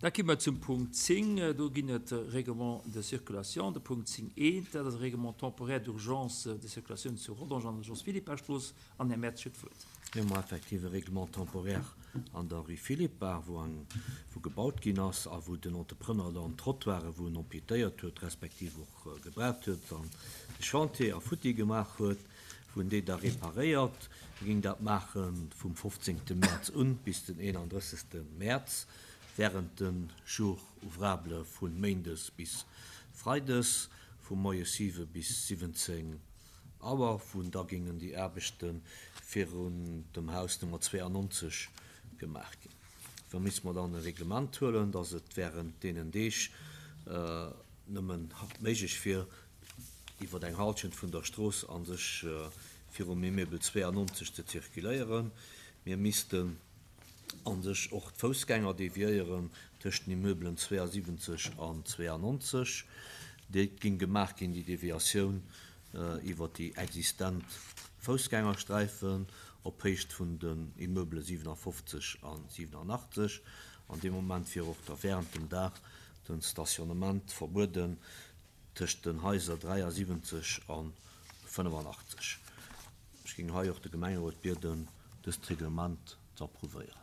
Da gi mer zum Punkt 10. Do ginn et Règlements de circulation. De Punkt 10 eent, dat ass e Règlement temporaire d'urgence de circulation zu Rodange an der Jos Philippart-Strooss. An Här Mertz huet d'Wuert. Mir hu effektiv e Règlement temporaire an der Rue Philippart, wou eng, wou gebaut ginn ass a wou den Entrepreneur dann d'Trottoiren, wou en amputéiert huet, respektiv och gebraucht huet an de Chantier a futti gemaach huet, wou en déi da reparéiert. E géing dat maache vum 15. Mäerz un bis den 31. Mäerz, während de Jours ouvrables vu méindes bis freides, vu moies 7 bis 17 Auer, wou da géingen déi Aarbechte virun dem Haus Nummer 92 gemaach ginn. Da misste mer dann e Reglement huelen, dass et während deenen Deeg nëmmen méiglech wier, iwwer eng Halschent vun der Strooss a sech virum Immeuble 92 ze zirkuléieren. Mir missten a sech och d'Foussgänger deviéieren tëscht den Immeublen 72 an 92. Déi géing gemaach ginn, déi Deviatioun, iwwer déi existent Foussgängersträifen op Héicht vun den Immeublen 57 a 87. An deem Moment wier och da während dem Dag den Stationnement verbueden tëscht den Haiser 73 a 85. Ech géing hei och de Gemengerot bieden, dëst Reglement ze approuvéieren.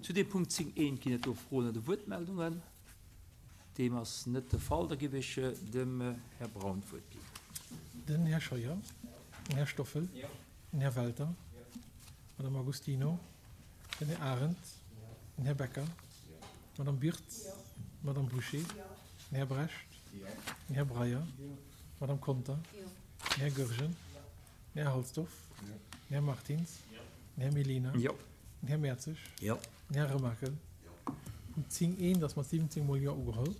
Zu deem Punkt 10 eent ginn et do Froen oder Wuertmeldungen? Deem ass net de Fall. Da géif ech dem Här Braun d'Wuert ginn. Den Här Scheuer, den Här Stoffel, den Här Welter, d'Madame Agostino, den Här Arendt, den Här Becker, d'Madame Birtz, d'Madame Bouché, den Här Brecht, den Här Breyer, d'Madame Conter, den Här Goergen, den Här Halsdorf, den Här Martins, den Här Mellina, den Här Mertzig, den Här Remakel. Punkt 10 eent ass mat 17 mol Jo ugeholl.